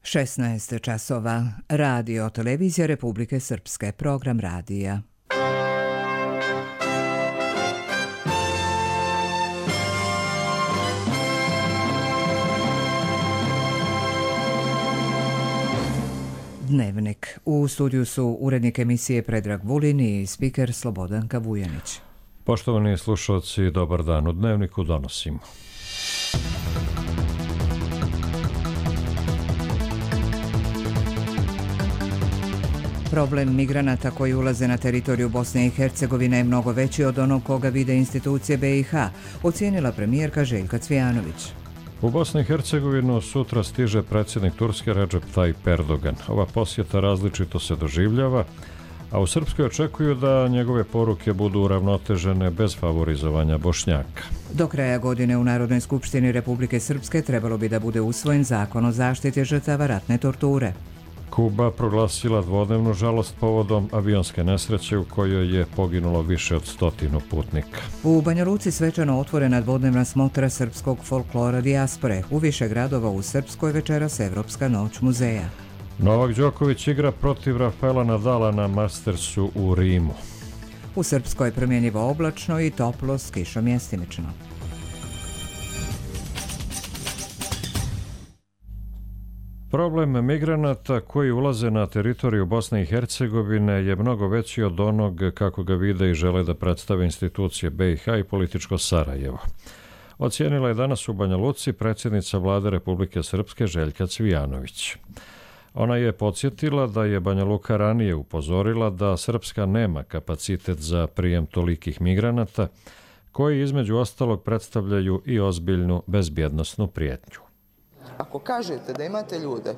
16 časova. Radio Televizija Republike Srpske. Program radija. Dnevnik. U studiju su urednik emisije Predrag Vulin i spiker Slobodanka Vujanić. Poštovani slušalci, dobar dan. U Dnevniku donosimo. Problem migranata koji ulaze na teritoriju Bosne i Hercegovine je mnogo veći od onog koga vide institucije BiH, ocijenila premijerka Željka Cvijanović. U Bosni i Hercegovinu sutra stiže predsjednik Turske Recep Tayyip Erdogan. Ova posjeta različito se doživljava, a u Srpskoj očekuju da njegove poruke budu uravnotežene bez favorizovanja Bošnjaka. Do kraja godine u Narodnoj skupštini Republike Srpske trebalo bi da bude usvojen zakon o zaštiti žrtava ratne torture. Kuba proglasila dvodnevnu žalost povodom avionske nesreće u kojoj je poginulo više od 100 putnika. U Banja Luci svečano otvorena dvodnevna smotra srpskog folklora dijaspore. U više gradova u Srpskoj večeras Evropska noć muzeja. Novak Đoković igra protiv Rafaela Nadala na Mastersu u Rimu. U Srpskoj promjenjivo oblačno i toplo s kišom mjestimično. Problem migranata koji ulaze na teritoriju Bosne i Hercegovine je mnogo veći od onog kako ga vide i žele da predstave institucije BiH i političko Sarajevo. Ocijenila je danas u Banja Luci predsjednica Vlade Republike Srpske Željka Cvijanović. Ona je podsjetila da je Banja Luka ranije upozorila da Srpska nema kapacitet za prijem tolikih migranata, koji između ostalog predstavljaju i ozbiljnu bezbjednosnu prijetnju. Ako kažete da imate ljude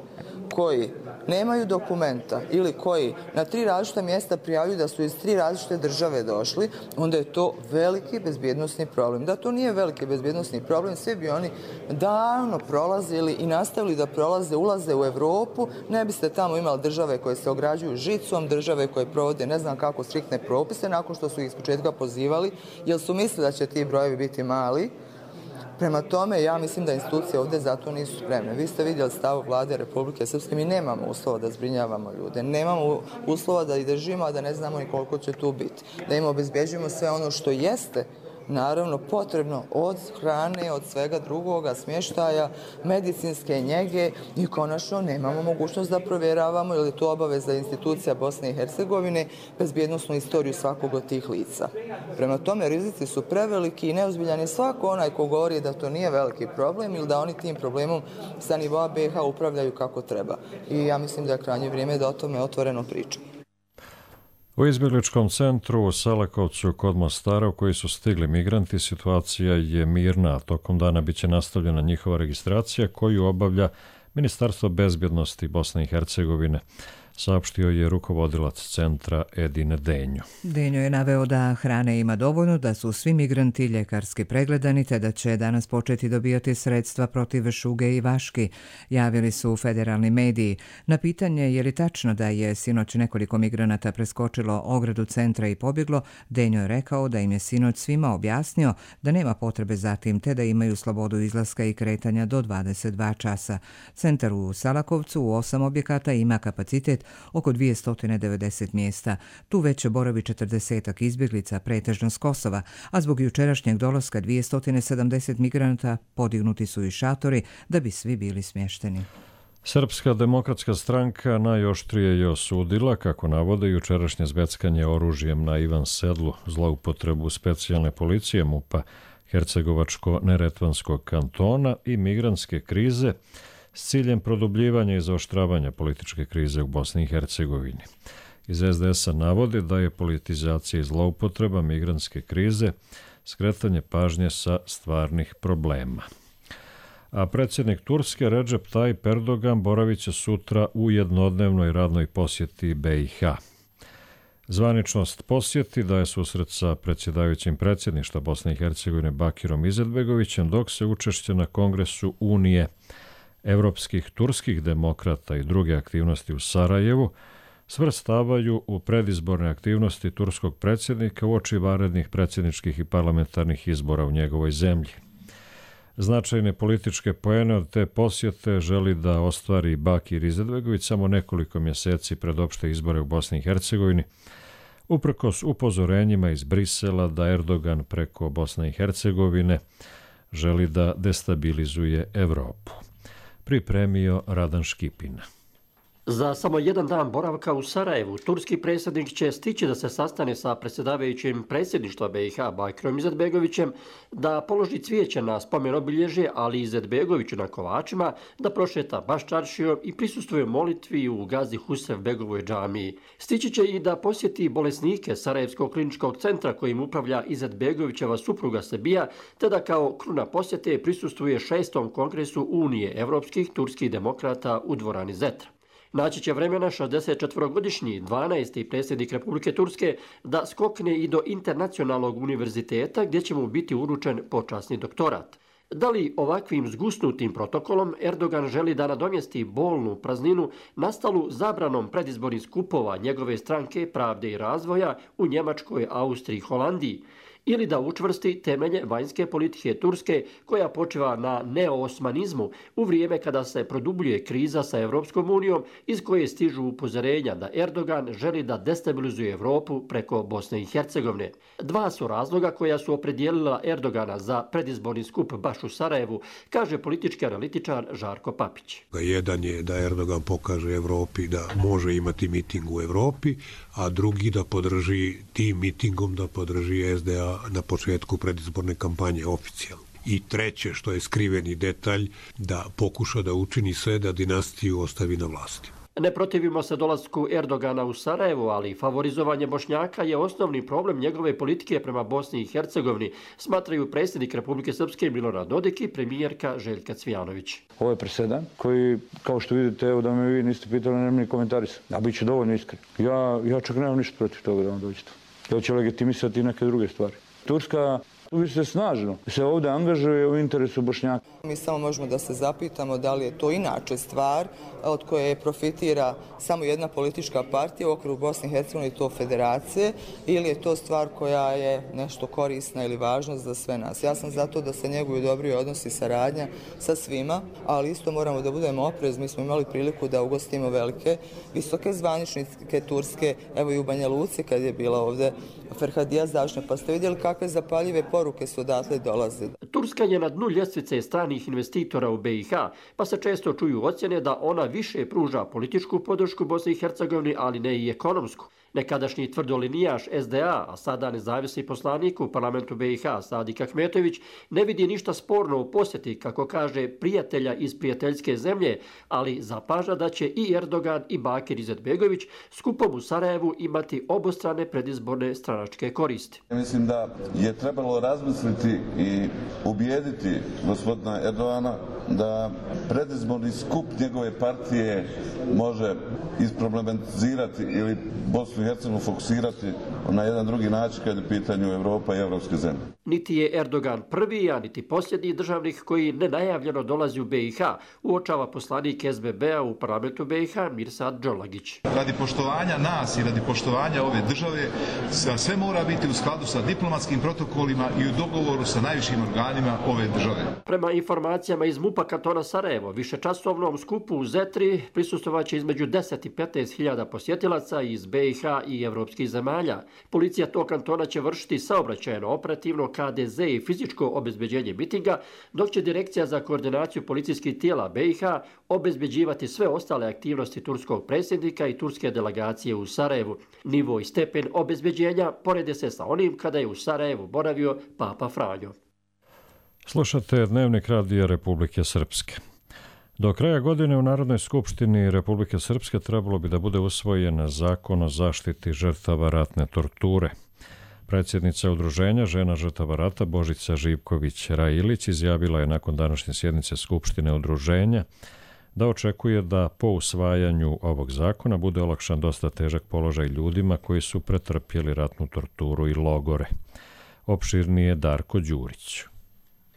koji nemaju dokumenta ili koji na 3 različita mjesta prijavljuju da su iz 3 različite države došli, onda je to veliki bezbjednosni problem. Da to nije veliki bezbjednosni problem, sve bi oni davno prolazili i nastavili da prolaze, ulaze u Evropu, ne biste tamo imali države koje se ograđuju žicom, države koje provode ne znam kako striktne propise nakon što su ih s početka pozivali, jer su mislili da će ti brojevi biti mali. Prema tome, ja mislim da institucije ovdje zato nisu spremne. Vi ste vidjeli stav Vlade Republike Srpske, mi nemamo uslova da zbrinjavamo ljude, nemamo uslova da ih držimo, a da ne znamo ni koliko će tu biti. Da im obezbjeđujemo sve ono što jeste, naravno, potrebno od hrane, od svega drugoga, smještaja, medicinske njege i konačno nemamo mogućnost da provjeravamo, jer je to obaveza institucija Bosne i Hercegovine, bezbjednosnu istoriju svakog od tih lica. Prema tome, rizici su preveliki i neozbiljan je svako onaj ko govori da to nije veliki problem ili da oni tim problemom sa nivoa BiH upravljaju kako treba. I ja mislim da je krajnje vrijeme da o tome otvoreno pričamo. U izbjegličkom centru u Selakovcu kod Mostara u koji su stigli migranti situacija je mirna, a tokom dana biće nastavljena njihova registracija koju obavlja Ministarstvo bezbjednosti Bosne i Hercegovine, saopštio je rukovodilac centra Edin Denjo. Denjo je naveo da hrane ima dovoljno, da su svi migranti ljekarski pregledani te da će danas početi dobijati sredstva protiv šuge i vaški, javili su federalni mediji. Na pitanje je li tačno da je sinoć nekoliko migranata preskočilo ogradu centra i pobjeglo, Denjo je rekao da im je sinoć svima objasnio da nema potrebe za tim te da imaju slobodu izlaska i kretanja do 22 časa. Centar u Salakovcu u 8 objekata ima kapacitet oko 290 mjesta. Tu već boravi 40 izbjeglica, pretežno s Kosova, a zbog jučerašnjeg dolaska 270 migranata podignuti su i šatori da bi svi bili smješteni. Srpska demokratska stranka najoštrije je osudila, kako navode, jučerašnje zveckanje oružjem na Ivan Sedlu, zloupotrebu specijalne policije MUP-a Hercegovačko-Neretvanskog kantona i migrantske krize s ciljem produbljivanja i zaoštravanja političke krize u Bosni i Hercegovini. Iz SDS-a navode da je politizacija i zloupotreba migrantske krize skretanje pažnje sa stvarnih problema. A predsjednik Turske Recep Tayyip Erdogan boravit će sutra u jednodnevnoj radnoj posjeti BiH. Zvaničnost posjeti daje susret sa predsjedavajućim predsjedništva Bosne i Hercegovine Bakirom Izetbegovićem, dok se učešće na kongresu Unije evropskih turskih demokrata i druge aktivnosti u Sarajevu svrstavaju u predizborne aktivnosti turskog predsjednika uoči vanrednih predsjedničkih i parlamentarnih izbora u njegovoj zemlji. Značajne političke poene od te posjete želi da ostvari Bakir Izetbegović samo nekoliko mjeseci pred opšte izbore u Bosni i Hercegovini, uprkos upozorenjima iz Brisela da Erdogan preko Bosne i Hercegovine želi da destabilizuje Evropu. Pripremio Radan Škipina. Za samo jedan dan boravka u Sarajevu, turski predsjednik će stići da se sastane sa predsjedavajućim predsjedništva BiH Bakirom Izetbegovićem, da položi cvijeće na spomen obilježje, ali Izetbegoviću na Kovačima, da prošeta Baščaršijom i prisustvuje molitvi u Gazi Husrevbegovoj džamiji. Stići će i da posjeti bolesnike Sarajevskog kliničkog centra kojim upravlja Izetbegovićeva supruga Sebija, te da kao kruna posjete prisustvuje 6. kongresu Unije evropskih turskih demokrata u dvorani Zetra. Naći će vremena 64-godišnji 12. predsjednik Republike Turske da skokne i do internacionalnog univerziteta gdje će mu biti uručen počasni doktorat. Da li ovakvim zgusnutim protokolom Erdogan želi da nadomjesti bolnu prazninu nastalu zabranom predizbornih skupova njegove stranke Pravde i razvoja u Njemačkoj, Austriji i Holandiji, ili da učvrsti temelje vanjske politike Turske koja počiva na neoosmanizmu u vrijeme kada se produbljuje kriza sa Europskom unijom iz koje stižu upozorenja da Erdogan želi da destabilizuje Europu preko Bosne i Hercegovine. Dva su razloga koja su opredijelila Erdogana za predizborni skup baš u Sarajevu, kaže politički analitičar Žarko Papić. Jedan je da Erdogan pokaže Europi da može imati miting u Europi, a drugi da podrži tim mitingom da podrži SDA na početku predizborne kampanje oficijalno. I treće, što je skriveni detalj, da pokuša da učini sve da dinastiju ostavi na vlasti. Ne protivimo se dolasku Erdogana u Sarajevo, ali favorizovanje Bošnjaka je osnovni problem njegove politike prema Bosni i Hercegovini, smatraju predsjednik Republike Srpske Milorad Dodik i premijerka Željka Cvijanović. Ovo je presedan koji, kao što vidite, evo da me vi niste pitali, nemam ni komentaris. Ja bit ću dovoljno iskren. Ja čak nemam ništa protiv toga da vam dođete. To će legitimisati neke druge stvari. Turska se snažno se ovdje angažuje u interesu Bošnjaka. Mi samo možemo da se zapitamo da li je to inače stvar od koje profitira samo jedna politička partija u okviru Bosne i Hercegovine i to federacije, ili je to stvar koja je nešto korisna ili važna za sve nas. Ja sam zato da se njeguju dobri odnosi i saradnja sa svima, ali isto moramo da budemo oprezni. Mi smo imali priliku da ugostimo velike, visoke zvaničnike Turske, evo i u Banja Luci kad je bila ovdje Ferhadija Završna, pa ste vidjeli kakve zapaljive poruke su odatle dolaze. Turska je na dnu ljestvice stranih investitora u BiH, pa se često čuju ocjene da ona više pruža političku podršku Bosni i Hercegovini, ali ne i ekonomsku. Nekadašnji tvrdolinijaš SDA, a sada nezavisni poslanik u parlamentu BiH Sadik Ahmetović, ne vidi ništa sporno u posjeti, kako kaže, prijatelja iz prijateljske zemlje, ali zapaža da će i Erdogan i Bakir Izetbegović skupom u Sarajevu imati obostrane predizborne stranačke koristi. Mislim da je trebalo razmisliti i ubijediti gospodina Erdogana da predizborni skup njegove partije može isproblematizirati ili Bosnu i Hercegovinu fokusirati na jedan drugi način kad je u pitanju Evropa i evropske zemlje. Niti je Erdogan prvi, a niti posljednji državnik koji nenajavljeno dolazi u BiH, uočava poslanik SBB-a u parlamentu BiH Mirsad Džolagić. Radi poštovanja nas i radi poštovanja ove države, sve mora biti u skladu sa diplomatskim protokolima i u dogovoru sa najvišim organima ove države. Prema informacijama iz MUP-a kantona Sarajevo, višečasovnom skupu u Zetri prisustvovaće između 10 i 15 hiljada posjetilaca iz BiH i evropskih zemalja. Policija tog kantona će vršiti saobraćajno, operativno, KDZ i fizičko obezbeđenje mitinga, dok će Direkcija za koordinaciju policijskih tijela BiH obezbeđivati sve ostale aktivnosti turskog predsjednika i turske delegacije u Sarajevu. Nivo i stepen obezbeđenja porede se sa onim kada je u Sarajevu boravio Papa Franjo. Slušate Dnevnik Radija Republike Srpske. Do kraja godine u Narodnoj skupštini Republike Srpske trebalo bi da bude usvojen Zakon o zaštiti žrtava ratne torture. Predsjednica udruženja žena žrtava rata Božica Živković-Railić izjavila je nakon današnje sjednice Skupštine udruženja da očekuje da po usvajanju ovog zakona bude olakšan dosta težak položaj ljudima koji su pretrpjeli ratnu torturu i logore. Opširnije Darko Đurić.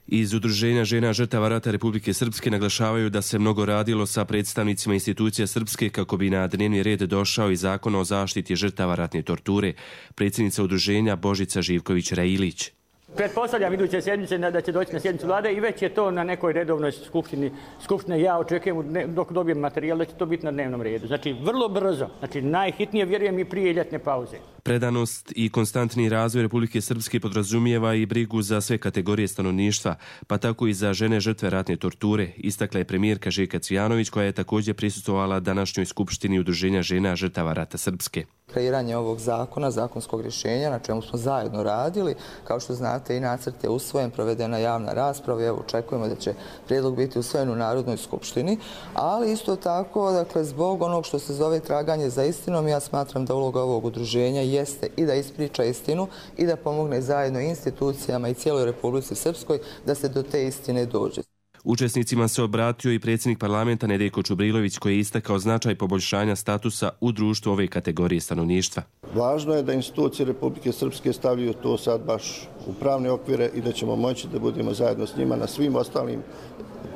Iz Udruženja žena žrtava rata Republike Srpske naglašavaju da se mnogo radilo sa predstavnicima institucija Srpske kako bi na dnevni red došao i Zakon o zaštiti žrtava ratne torture. Predsjednica udruženja Božica Živković-Railić. Pretpostavljam iduće sedmice da će doći na sjednicu vlade i već je to na nekoj redovnoj skupštini. Ja očekujem dok dobijem materijal da će to biti na dnevnom redu. Znači vrlo brzo, znači najhitnije vjerujem i prije ljetne pauze. Predanost i konstantni razvoj Republike Srpske podrazumijeva i brigu za sve kategorije stanovništva, pa tako i za žene žrtve ratne torture, istakla je premijerka Željka Cvijanović, koja je također prisustvovala današnjoj skupštini Udruženja žena žrtava rata Srpske. Kreiranje ovog zakona, zakonskog rješenja, na čemu smo zajedno radili, kao što znate i nacrt je usvojen, provedena javna rasprava i evo očekujemo da će prijedlog biti usvojen u Narodnoj skupštini, ali isto tako, dakle, zbog onog što se zove traganje za istinom, ja smatram da uloga ovog udruženja jeste i da ispriča istinu i da pomogne zajedno institucijama i cijeloj Republici Srpskoj da se do te istine dođe. Učesnicima se obratio i predsjednik parlamenta Nedeljko Čubrilović, koji je istakao značaj poboljšanja statusa u društvu ove kategorije stanovništva. Važno je da institucije Republike Srpske stavljaju to sad baš u pravne okvire i da ćemo moći da budemo zajedno s njima na svim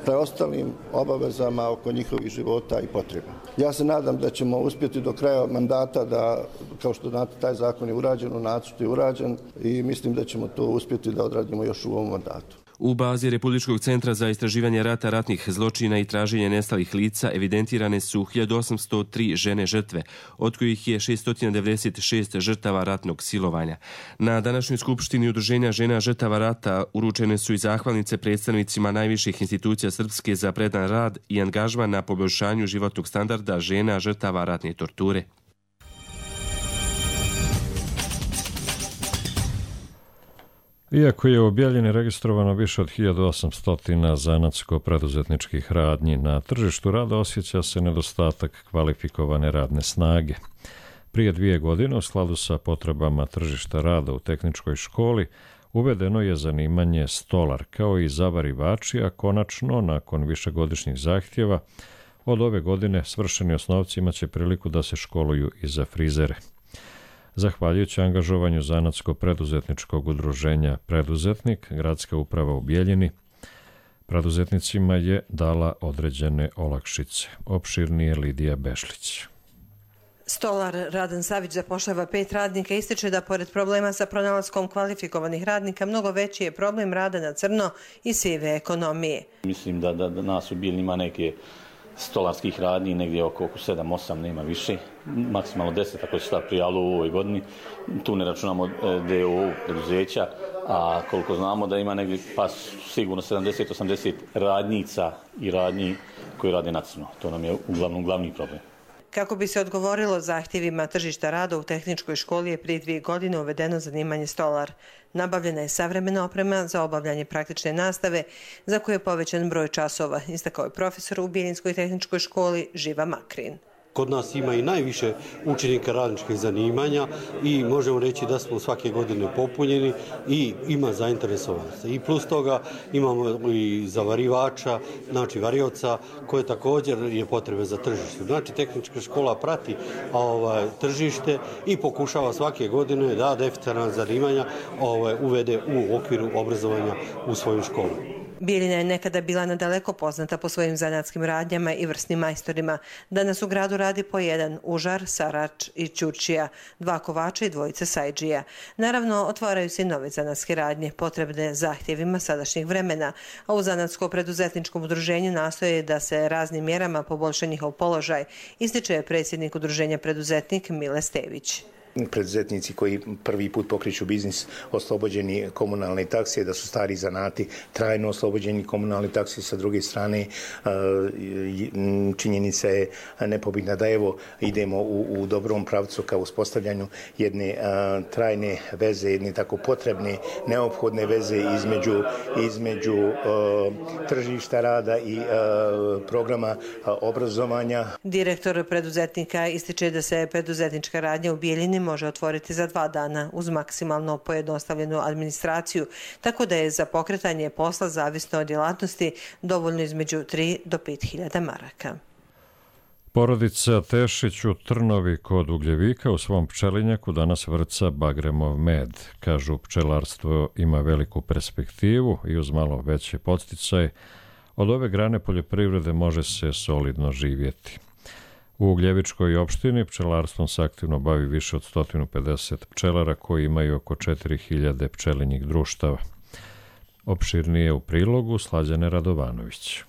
preostalim obavezama oko njihovih života i potreba. Ja se nadam da ćemo uspjeti do kraja mandata da, kao što znate, taj zakon je urađen, u nacrtu je urađen i mislim da ćemo to uspjeti da odradimo još u ovom mandatu. U bazi Republičkog centra za istraživanje rata, ratnih zločina i traženje nestalih lica evidentirane su 1803 žene žrtve, od kojih je 696 žrtava ratnog silovanja. Na današnjoj skupštini Udruženja žena žrtava rata uručene su i zahvalnice predstavnicima najviših institucija Srpske za predan rad i angažman na poboljšanju životnog standarda žena žrtava ratne torture. Iako je u Bjeljini registrovano više od 1800 zanatsko-preduzetničkih radnji, na tržištu rada osjeća se nedostatak kvalifikovane radne snage. Prije 2 godine, u skladu sa potrebama tržišta rada u tehničkoj školi, uvedeno je zanimanje stolar, kao i zavarivači, a konačno, nakon višegodišnjih zahtjeva, od ove godine svršeni osnovci imaće priliku da se školuju i za frizere. Zahvaljujući angažovanju zanatsko-preduzetničkog udruženja Preduzetnik, gradska uprava u Bjeljini preduzetnicima je dala određene olakšice. Opširnije Lidija Bešlić. Stolar Radan Savić zapošljava 5 radnika i ističe da pored problema sa pronalaskom kvalifikovanih radnika mnogo veći je problem rada na crno i sive ekonomije. Mislim da nas u Bjeljini ima neke stolarskih radnji, negdje oko 7-8, nema više, maksimalno 10 ako se šta prijavilo u ovoj godini. Tu ne računamo DOO preduzeća, a koliko znamo da ima negdje pa sigurno 70-80 radnica i radnji koji rade na crno. To nam je uglavnom glavni problem. Kako bi se odgovorilo zahtjevima tržišta rada, u tehničkoj školi je prije 2 godine uvedeno zanimanje stolar. Nabavljena je savremena oprema za obavljanje praktične nastave, za koju je povećan broj časova, istakao je profesor u Bjeljinskoj tehničkoj školi Živa Makrin. Kod nas ima i najviše učenika radničkih zanimanja i možemo reći da smo svake godine popunjeni i ima zainteresovanosti. I plus toga imamo i zavarivača, znači varioca, koje također je potrebe za tržište. Znači tehnička škola prati tržište i pokušava svake godine da deficitarna zanimanja uvede u okviru obrazovanja u svoju školu. Bjeljina je nekada bila nadaleko poznata po svojim zanatskim radnjama i vrsnim majstorima. Danas u gradu radi po 1 užar, sarač i ćurčija, 2 kovača i 2 sajdžija. Naravno, otvaraju se i nove zanatske radnje, potrebne zahtjevima sadašnjih vremena, a u zanatsko-preduzetničkom udruženju nastoje da se raznim mjerama poboljša njihov položaj, ističe predsjednik udruženja Preduzetnik Mile Stević. Preduzetnici koji prvi put pokreću biznis oslobođeni komunalne takse, da su stari zanati trajno oslobođeni komunalne takse. Sa druge strane, činjenica je nepobitna da evo idemo u dobrom pravcu ka uspostavljanju jedne trajne veze, jedne tako potrebne, neophodne veze između tržišta rada i programa obrazovanja. Direktor Preduzetnika ističe da se preduzetnička radnja u Bjeljini može otvoriti za 2 dana uz maksimalno pojednostavljenu administraciju, tako da je za pokretanje posla zavisno od djelatnosti dovoljno između 3 do 5.000 maraka. Porodica Tešić u Trnovi kod Ugljevika u svom pčelinjaku danas vrca bagremov med. Kažu, pčelarstvo ima veliku perspektivu i uz malo veći podsticaj od ove grane poljoprivrede može se solidno živjeti. U Ugljevičkoj opštini pčelarstvom se aktivno bavi više od 150 pčelara koji imaju oko 4000 pčelinjih društava. Opširnije u prilogu Slađane Radovanović.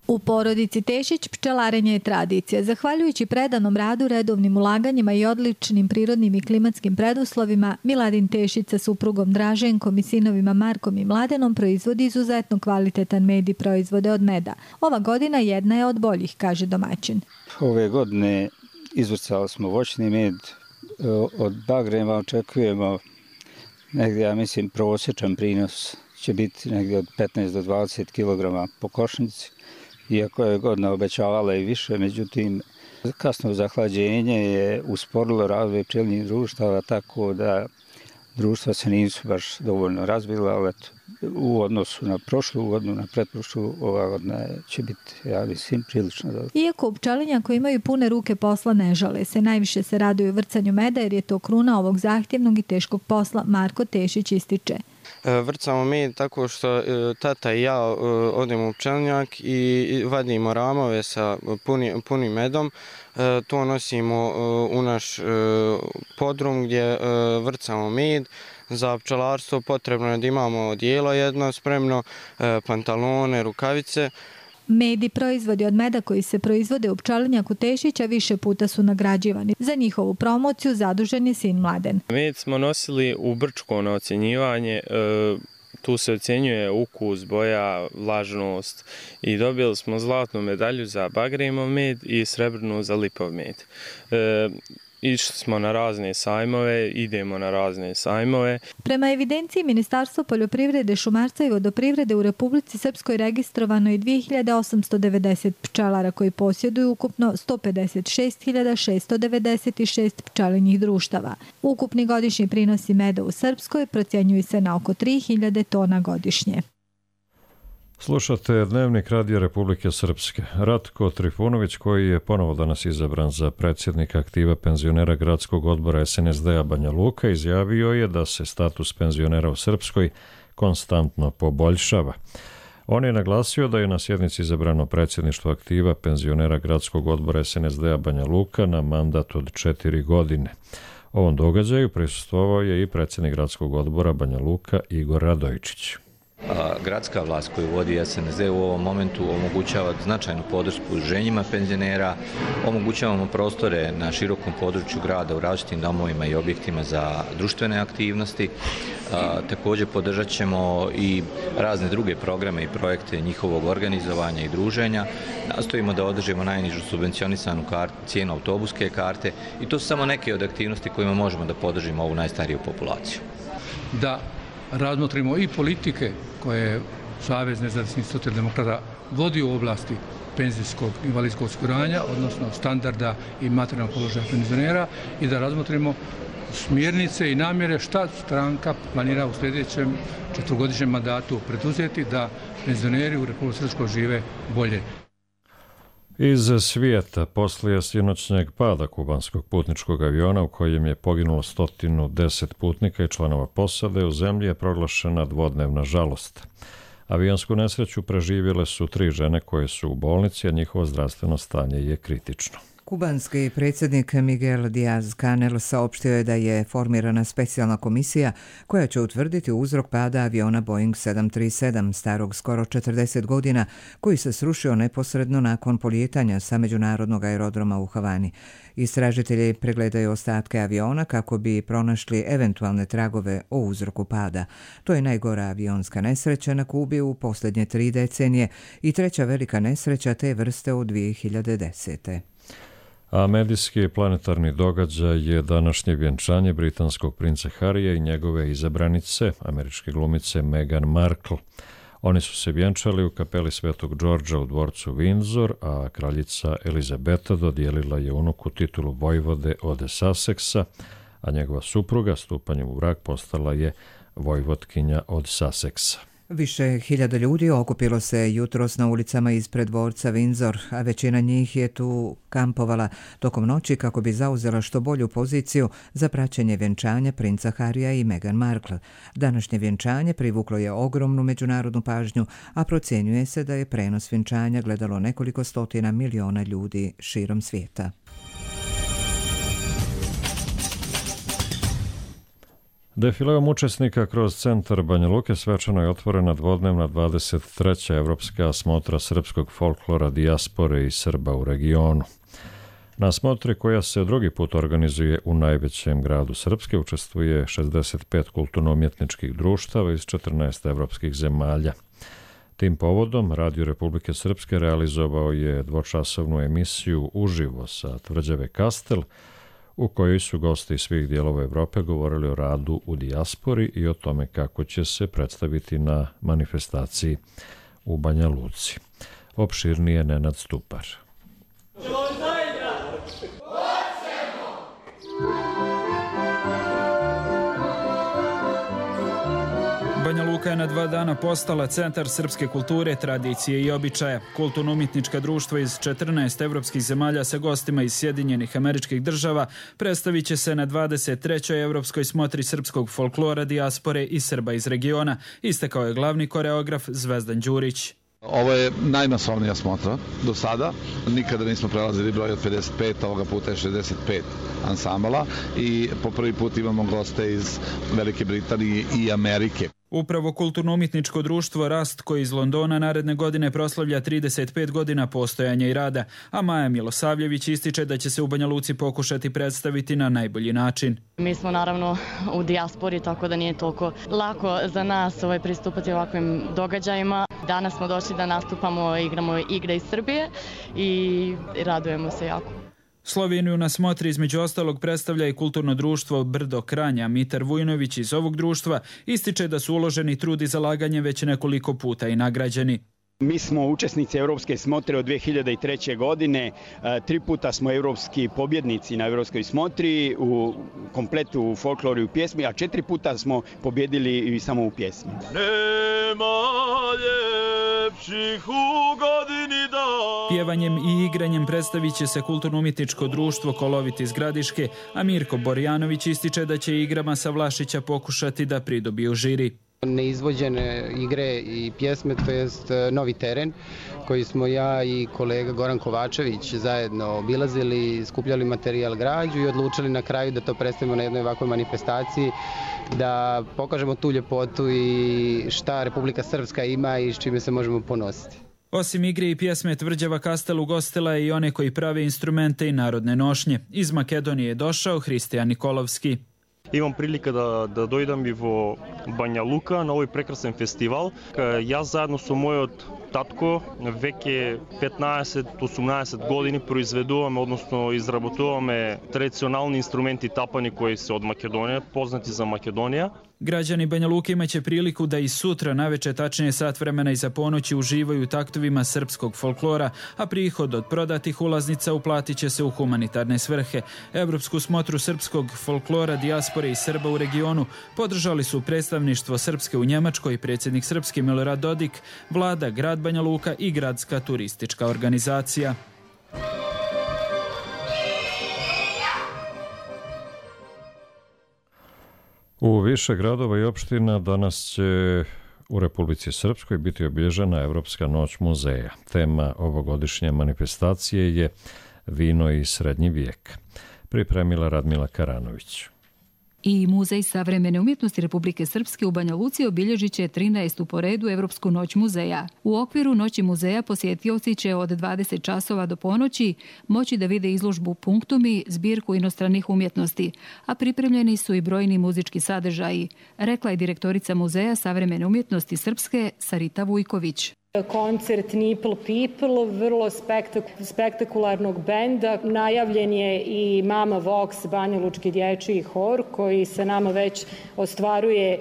U porodici Tešić pčelarenje je tradicija. Zahvaljujući predanom radu, redovnim ulaganjima i odličnim prirodnim i klimatskim preduslovima, Miladin Tešić sa suprugom Draženkom i sinovima Markom i Mladenom proizvodi izuzetno kvalitetan med i proizvode od meda. Ova godina jedna je od boljih, kaže domaćin. Ove godine izvrcali smo voćni med. Od bagrema očekujemo negdje, ja mislim, prosječan prinos će biti negdje od 15 do 20 kg po košnici. Iako je godina obećavala i više, međutim, kasno zahlađenje je usporilo razvoj pčelinjih društava, tako da društva se nisu baš dovoljno razvila, ali u odnosu na prošlu godinu, na pretprošlu, ova godina će biti, ja mislim, prilično dobro. Iako u pčelinjaku imaju pune ruke posla, ne žale se. Najviše se raduju vrcanju meda jer je to kruna ovog zahtjevnog i teškog posla, Marko Tešić ističe. Vrcamo med tako što tata i ja odemo u pčelinjak i vadimo ramove sa punim medom. To nosimo u naš podrum gdje vrcamo med. Za pčelarstvo potrebno je da imamo odijelo jedno spremno, pantalone, rukavice. Med i proizvodi od meda koji se proizvode u pčelinjaku Tešića više puta su nagrađivani. Za njihovu promociju zadužen je sin Mladen. Med smo nosili u Brčko na ocjenjivanje. Tu se ocjenjuje ukus, boja, vlažnost i dobili smo zlatnu medalju za bagremov med i srebrnu za lipov med. Išli smo na razne sajmove, idemo na razne sajmove. Prema evidenciji Ministarstva poljoprivrede, šumarstva i vodoprivrede u Republici Srpskoj registrovano je 2890 pčelara koji posjeduju ukupno 156.696 pčelinjih društava. Ukupni godišnji prinosi meda u Srpskoj procjenjuju se na oko 3000 tona godišnje. Slušate Dnevnik Radija Republike Srpske. Ratko Trifunović, koji je ponovo danas izabran za predsjednika aktiva penzionera gradskog odbora SNSD-a Banja Luka, izjavio je da se status penzionera u Srpskoj konstantno poboljšava. On je naglasio da je na sjednici izabrano predsjedništvo aktiva penzionera gradskog odbora SNSD-a Banja Luka na mandat od 4 godine. Ovom događaju prisustvovao je i predsjednik gradskog odbora Banja Luka Igor Radojičić. Gradska vlast koju vodi SNSD u ovom momentu omogućava značajnu podršku udruženjima penzionera, omogućavamo prostore na širokom području grada u različitim domovima i objektima za društvene aktivnosti. Također podržat ćemo i razne druge programe i projekte njihovog organizovanja i druženja. Nastojimo da održimo najnižu subvencionisanu cijenu autobuske karte i to su samo neke od aktivnosti kojima možemo da podržimo ovu najstariju populaciju. Da razmotrimo i politike koje Savez nezavisnih socijaldemokrata vodi u oblasti penzijskog i invalidskog osiguranja, odnosno standarda i materijalnog položaja penzionera i da razmotrimo smjernice i namjere šta stranka planira u sljedećem 4-godišnjem mandatu preduzeti da penzioneri u Republici Srpskoj žive bolje. Iz svijeta, poslije sinoćnjeg pada kubanskog putničkog aviona u kojem je poginulo 110 putnika i članova posade, u zemlji je proglašena dvodnevna žalost. Avionsku nesreću preživjele su 3 žene koje su u bolnici, a njihovo zdravstveno stanje je kritično. Kubanski predsjednik Miguel Díaz-Canel saopštio je da je formirana specijalna komisija koja će utvrditi uzrok pada aviona Boeing 737 starog skoro 40 godina koji se srušio neposredno nakon polijetanja sa međunarodnog aerodroma u Havani. Istražitelji pregledaju ostatke aviona kako bi pronašli eventualne tragove o uzroku pada. To je najgora avionska nesreća na Kubi u posljednje 3 decenije i treća velika nesreća te vrste u 2010. A medijski planetarni događaj je današnje vjenčanje britanskog princa Harrya i njegove izabranice, američke glumice Meghan Markle. Oni su se vjenčali u kapeli Svetog Đorđa u dvorcu Windsor, a kraljica Elizabeta dodijelila je unuku titulu vojvode od Sussexa, a njegova supruga stupanjem u brak postala je vojvotkinja od Sussexa. Više hiljada ljudi okupilo se jutros na ulicama ispred dvorca Windsor, a većina njih je tu kampovala tokom noći kako bi zauzela što bolju poziciju za praćenje vjenčanja princa Harrya i Meghan Markle. Današnje vjenčanje privuklo je ogromnu međunarodnu pažnju, a procjenjuje se da je prenos vjenčanja gledalo nekoliko stotina miliona ljudi širom svijeta. Defileom učesnika kroz centar Banja Luke svečano je otvorena dvodnevna 23. evropska smotra srpskog folklora, dijaspore i Srba u regionu. Na smotri, koja se drugi put organizuje u najvećem gradu Srpske, učestvuje 65 kulturno-umjetničkih društava iz 14 evropskih zemalja. Tim povodom Radio Republike Srpske realizovao je dvočasovnu emisiju uživo sa tvrđave Kastel, u kojoj su gosti iz svih dijelova Evrope govorili o radu u dijaspori i o tome kako će se predstaviti na manifestaciji u Banja Luci. Opširnije Nenad Stupar. Banja Luka je na 2 dana postala centar srpske kulture, tradicije i običaja. Kulturno-umjetnička društva iz 14 evropskih zemalja sa gostima iz Sjedinjenih Američkih Država predstavit će se na 23. evropskoj smotri srpskog folklora, dijaspore i Srba iz regiona, istakao je glavni koreograf Zvezdan Đurić. Ovo je najmasovnija smotra do sada. Nikada nismo prelazili broj od 55, ovoga puta je 65 ansambala i po prvi put imamo goste iz Velike Britanije i Amerike. Upravo kulturno-umjetničko društvo Rast, koji iz Londona naredne godine proslavlja 35 godina postojanja i rada, a Maja Milosavljević ističe da će se u Banja Luci pokušati predstaviti na najbolji način. Mi smo naravno u dijaspori, tako da nije toliko lako za nas pristupati ovakvim događajima. Danas smo došli da nastupamo, igramo igre iz Srbije i radujemo se jako. Sloveniju na smotri između ostalog predstavlja i kulturno društvo Brdo Kranja. Mitar Vujnović iz ovog društva ističe da su uloženi trud i zalaganje već nekoliko puta i nagrađeni. Mi smo učesnici Evropske smotre od 2003. godine. 3 puta smo evropski pobjednici na Evropskoj smotri u kompletu u folkloru i u pjesmi, a 4 puta smo pobjedili i samo u pjesmi. Nema ljepših u godini dan. Pjevanjem i igranjem predstavit će se kulturno-umjetničko društvo Kolovit iz Gradiške, a Mirko Borjanović ističe da će igrama sa Vlašića pokušati da pridobiju žiri. Neizvođene igre i pjesme, to jest novi teren koji smo ja i kolega Goran Kovačević zajedno obilazili, skupljali materijal građu i odlučili na kraju da to predstavimo na jednoj ovakvoj manifestaciji, da pokažemo tu ljepotu i šta Republika Srpska ima i s čime se možemo ponositi. Osim igre i pjesme, tvrđava Kastel ugostila je i one koji prave instrumente i narodne nošnje. Iz Makedonije je došao Hristijan Nikolovski. Imam prilika da dojdem i vo Banja Luka na ovaj prekrasan festival. Ja zajedno sa mojot tatko veke 15-18 godini proizveduvаме, odnosno izraботuvаме tradicionalni instrumenti tapani koji se od Makedonije, poznati za Makedonija. Građani Banja Luke imaće priliku da i sutra naveče, tačnije sat vremena iza ponoći, uživaju u taktovima srpskog folklora, a prihod od prodatih ulaznica uplatit će se u humanitarne svrhe. Evropsku smotru srpskog folklora, dijaspore i Srba u regionu podržali su predstavništvo Srpske u Njemačkoj, predsjednik Srpske Milorad Dodik, vlada, grad Banja Luka i gradska turistička organizacija. U više gradova i opština danas će u Republici Srpskoj biti obilježena Evropska noć muzeja. Tema ovogodišnje manifestacije je Vino i srednji vijek. Pripremila Radmila Karanović. I Muzej savremene umjetnosti Republike Srpske u Banja Luci obilježit će 13. po redu Evropsku noć muzeja. U okviru Noći muzeja posjetioci će od 20 časova do ponoći moći da vide izložbu Punktumi, zbirku inostranih umjetnosti, a pripremljeni su i brojni muzički sadržaji, rekla je direktorica Muzeja savremene umjetnosti Srpske Sarita Vujković. Koncert Nipple People, vrlo spektakularnog benda. Najavljen je i Mama Vox, banjalučki dječji hor, koji sa nama već ostvaruje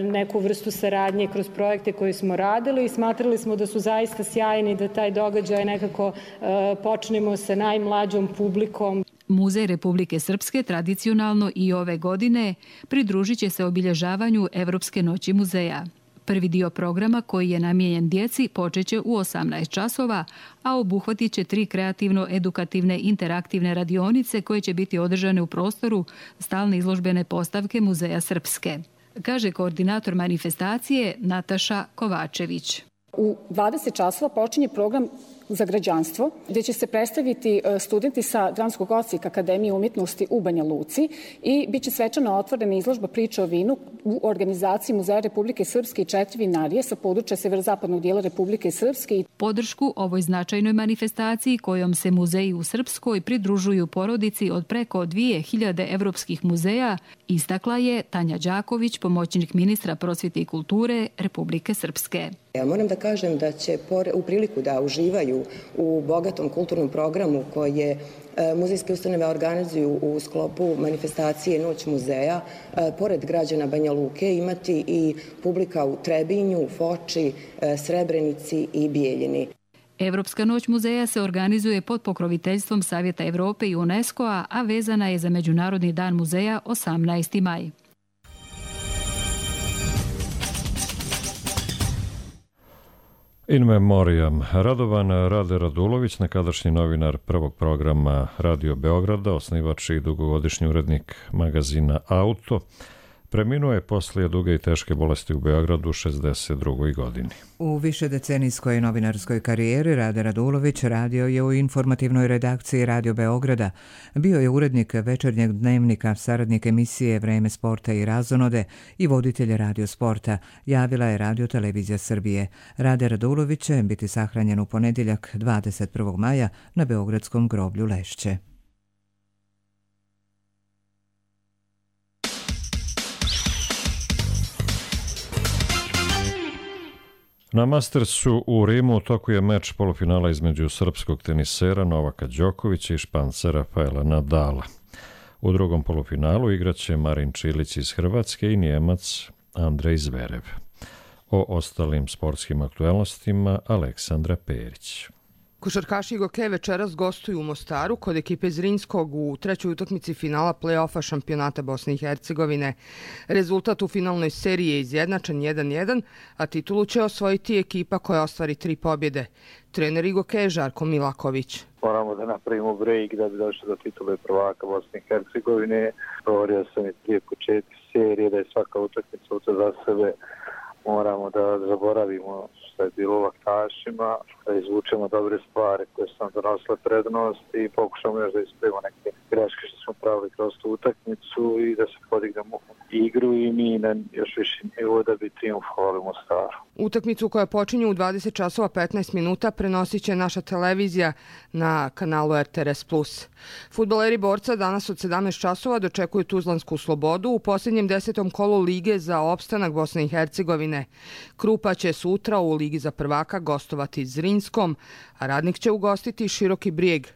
neku vrstu saradnje kroz projekte koje smo radili. Smatrali smo da su zaista sjajni, da taj događaj nekako počnemo sa najmlađom publikom. Muzej Republike Srpske tradicionalno i ove godine pridružit će se obilježavanju Evropske noći muzeja. Prvi dio programa koji je namijenjen djeci počeće u 18 časova, a obuhvatit će 3 kreativno-edukativne interaktivne radionice koje će biti održane u prostoru stalne izložbene postavke Muzeja Srpske, kaže koordinator manifestacije Nataša Kovačević. U 20 časova počinje program za građanstvo, gdje će se predstaviti studenti sa Dramskog odsjeka Akademije umjetnosti u Banja Luci i bit će svečano otvorena izložba priče o vinu u organizaciji Muzeja Republike Srpske i 4 vinarije sa područja severozapadnog dijela Republike Srpske. Podršku ovoj značajnoj manifestaciji kojom se muzeji u Srpskoj pridružuju porodici od preko 2000 evropskih muzeja istakla je Tanja Đaković, pomoćnik ministra prosvjete i kulture Republike Srpske. Ja moram da kažem da će u priliku da uživaju u bogatom kulturnom programu koje muzejske ustanove organizuju u sklopu manifestacije Noć muzeja, pored građana Banja Luke imati i publika u Trebinju, Foči, Srebrenici i Bijeljini. Evropska noć muzeja se organizuje pod pokroviteljstvom Savjeta Evrope i UNESCO-a, a vezana je za Međunarodni dan muzeja 18. maj. In memoriam. Radovan Rade Radulović, nekadašnji novinar prvog programa Radio Beograda, osnivač i dugogodišnji urednik magazina Auto, preminuo je poslije duge i teške bolesti u Beogradu u 62. godini. U višedecenijskoj novinarskoj karijeri Rade Radulović radio je u informativnoj redakciji Radio Beograda. Bio je urednik Večernjeg dnevnika, saradnik emisije Vreme sporta i razonode i voditelj Radio sporta, javila je Radio Televizija Srbije. Rade Radulović će biti sahranjen u ponedjeljak 21. maja na Beogradskom groblju Lešće. Na Mastersu u Rimu u toku je meč polufinala između srpskog tenisera Novaka Đokovića i Španca Rafaela Nadala. U drugom polufinalu igraće Marin Čilić iz Hrvatske i Nijemac Andrej Zverev. O ostalim sportskim aktuelnostima Aleksandra Perić. Košarkaši Goke večeras gostuju u Mostaru kod ekipe Zrinjskog u trećoj utakmici finala play-offa šampionata Bosne i Hercegovine. Rezultat u finalnoj seriji je izjednačen 1-1, a titulu će osvojiti ekipa koja ostvari 3 pobjede. Trener Goke je Žarko Milaković. Moramo da napravimo break da bi došli do titule prvaka Bosne i Hercegovine. Govorio sam i prije početka serije da je svaka utakmica za sebe. Moramo da zaboravimo što je bilo u laktašima, da izvučemo dobre stvari koje su nam donosile prednost i pokušamo još da ispravimo neke greške što smo pravili kroz tu utakmicu i da se podignemo igru i mi na još više nivo da bi triumfovali u Mostaru. Utakmicu koja počinje u 20 časova 15 minuta prenosit će naša televizija na kanalu RTRS+. Fudbaleri Borca danas od 17 časova dočekuju Tuzlansku Slobodu u posljednjem 10. kolu Lige za opstanak Bosne i Hercegovine. Krupa će sutra u Ligi za prvaka gostovati Zrinjskom, a Radnik će ugostiti Široki Brijeg.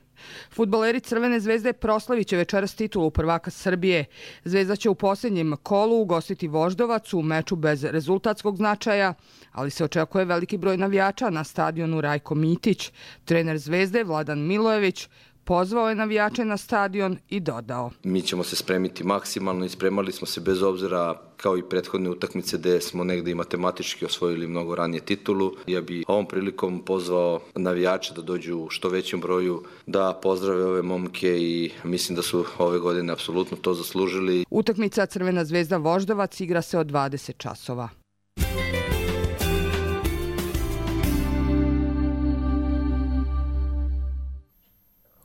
Fudbaleri Crvene zvezde proslavit će večeras titulu prvaka Srbije. Zvezda će u posljednjem kolu ugostiti Voždovac u meču bez rezultatskog značaja, ali se očekuje veliki broj navijača na stadionu Rajko Mitić. Trener Zvezde Vladan Milojević pozvao je navijače na stadion i dodao: Mi ćemo se spremiti maksimalno i spremali smo se bez obzira kao i prethodne utakmice gdje smo negdje i matematički osvojili mnogo ranije titulu. Ja bi ovom prilikom pozvao navijače da dođu u što većem broju, da pozdrave ove momke i mislim da su ove godine apsolutno to zaslužili. Utakmica Crvena zvezda Voždovac igra se od 20 časova.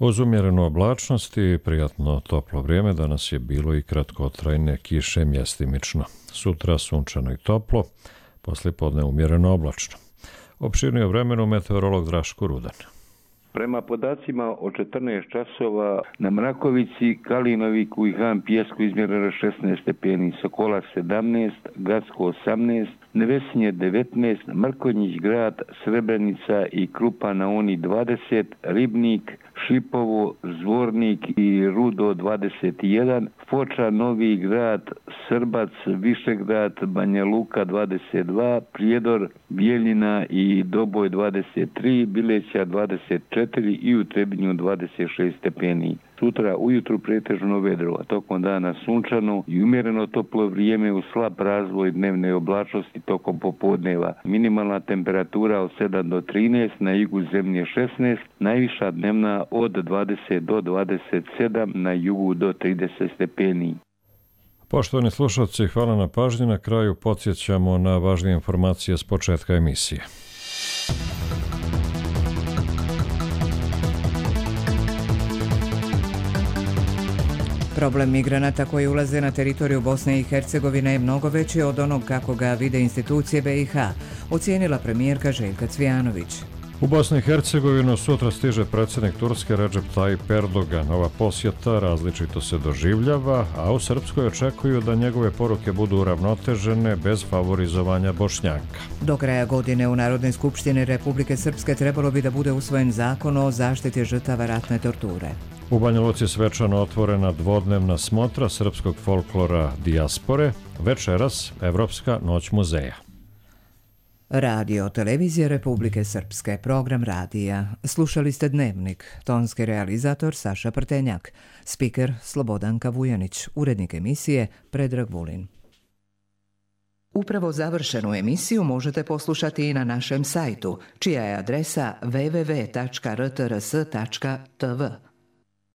Uz umjerenu oblačnost i prijatno toplo vrijeme danas je bilo i kratkotrajne kiše mjestimično. Sutra sunčano i toplo, poslije podne umjereno oblačno. Opširnije o vremenu meteorolog Draško Rudan. Prema podacima o 14 časova na Mrakovici, Kalinoviku i Han Pijesku izmjereno 16 stepeni, Sokola 17, Gacko 18, Nevesinje 19, Mrkonjić grad, Srebrenica i Krupa na Uni 20, Ribnik, Šipovo, Zvornik i Rudo 21, Foča, Novi grad, Srbac, Višegrad, Banja Luka 22, Prijedor, Bijeljina i Doboj 23, Bileća 24 i u Trebinju 26 stepeni. Sutra ujutru pretežno vedro, a tokom dana sunčano i umjereno toplo vrijeme uz slab razvoj dnevne oblačnosti tokom popodneva. Minimalna temperatura od 7 do 13, na jugu zemlje 16, najviša dnevna od 20 do 27, na jugu do 30 stepeni. Poštovani slušalci, hvala na pažnji. Na kraju podsjećamo na važnije informacije s početka emisije. Problem migranata koji ulaze na teritoriju Bosne i Hercegovine je mnogo veći od onog kako ga vide institucije BiH, ocijenila premijerka Željka Cvijanović. U Bosni i Hercegovinu sutra stiže predsjednik Turske Recep Tayyip Erdogan. Ova posjeta različito se doživljava, a u Srpskoj očekuju da njegove poruke budu uravnotežene bez favorizovanja Bošnjaka. Do kraja godine u Narodnoj skupštini Republike Srpske trebalo bi da bude usvojen zakon o zaštiti žrtava ratne torture. U Banja Luci svečano otvorena dvodnevna smotra srpskog folklora dijaspore, večeras Evropska noć muzeja. Radio Televizija Republike Srpske, program radija. Slušali ste Dnevnik, tonski realizator Saša Prtenjak, spiker Slobodanka Vujanić, urednik emisije Predrag Vulin. Upravo završenu emisiju možete poslušati i na našem sajtu, čija je adresa www.rtrs.tv.